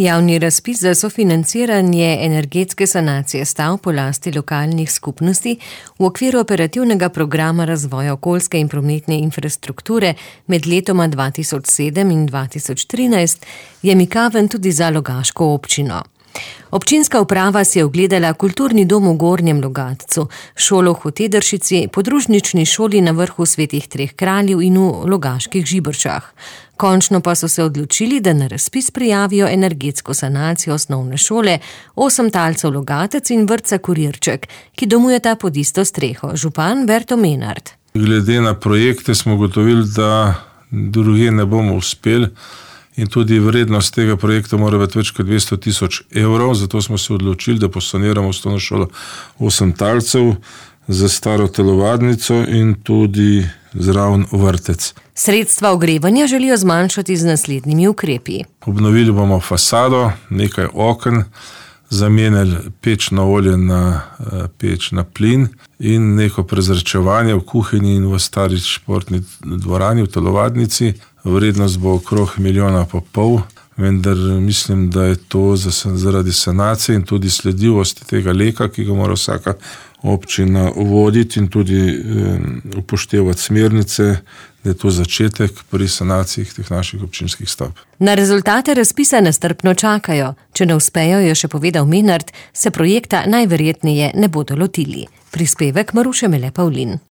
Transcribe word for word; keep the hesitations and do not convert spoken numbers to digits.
Javni razpis za sofinanciranje energetske sanacije stavb po lasti lokalnih skupnosti v okviru operativnega programa razvoja okoljske in prometne infrastrukture med letoma dva tisoč sedem in dva tisoč trinajst je mikaven tudi za Logaško občino. Občinska uprava si je ogledala kulturni dom v Gornjem Logatcu, šolo v Hotedršici, podružnični šoli na vrhu Svetih treh kraljev in v Logaških Žiberčah. Končno pa so se odločili, da na razpis prijavijo energetsko sanacijo osnovne šole, Osemtalcev Logatec in vrtca Kurirček, ki domujeta pod isto streho. Župan Berto Menard. Glede na projekte smo ugotovili, da drugje ne bomo uspeli. In tudi vrednost tega projekta mora biti več kot dvesto tisoč evrov, zato smo se odločili, da posaniramo osnovno šolo Osemtalcev za staro telovadnico in tudi zraven vrtec. Sredstva ogrevanja želijo zmanjšati z naslednjimi ukrepi. Obnovili bomo fasado, nekaj oken, zamenjali peč na olje na peč na plin in neko prezračevanje v kuhinji in v stari športni dvorani v telovadnici. Vrednost bo okrog milijona pa pol, vendar mislim, da je to zaradi sanacije in tudi sledljivosti tega leka, ki ga mora vsaka občina voditi in tudi upoštevati smernice, da je to začetek pri sanaciji teh naših občinskih stavb. Na rezultate razpisa nestrpno čakajo. Če ne uspejo, je še povedal Menard, se projekta najverjetneje ne bodo lotili. Prispevek Maruše Mele Pavlin.